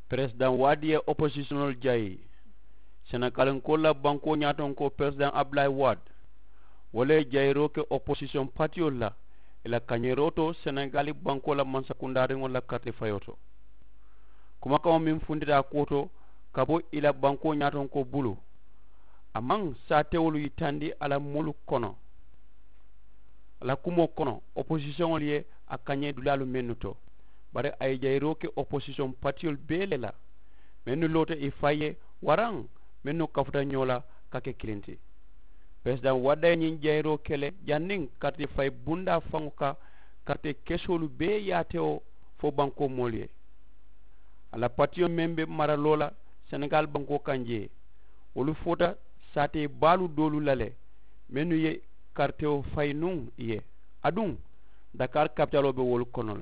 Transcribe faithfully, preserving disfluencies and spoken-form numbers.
Peresidaŋ waadi ye oposisiyoŋolu jayi. Senekalinkoolu la bankoo ñaatonkoo peresidaŋ abdulayi waadi, wo le ye jayiroo ke oposisiyoŋ patiyolu la i la kañeeroo to senegali bankoo la mansakundaariŋolu la karite fayoo to. Kumakaŋo meŋ funtita a kuwo to ka bo i la bankoo ñaatonkoo bulu, a maŋ saatewolu yitandi a la moolu kono. A la kumoo kono oposisiyoŋolu ye a kañee dulaalu mennu to, bari a ye jayiroo ke oposisiyoŋ patiyolu bee le la, mennu loota i fayi ye waraŋ mennu kafuta ñoo la ka ke kiliŋ ti. Peresidaŋ wadda ye ñiŋ jayiroo ke le janniŋ karite fayi bundaa faŋo ka karite kesoolu bee yaatewo fo bankoo moolu ye. A la patiyo meŋ be maraloo la senegali bankoo kaŋ jee, wolu foota saatee baalu doolu la le mennu ye karitewo fayi nuŋ i ye. Aduŋ dakari kapitaloo be wolu kono le.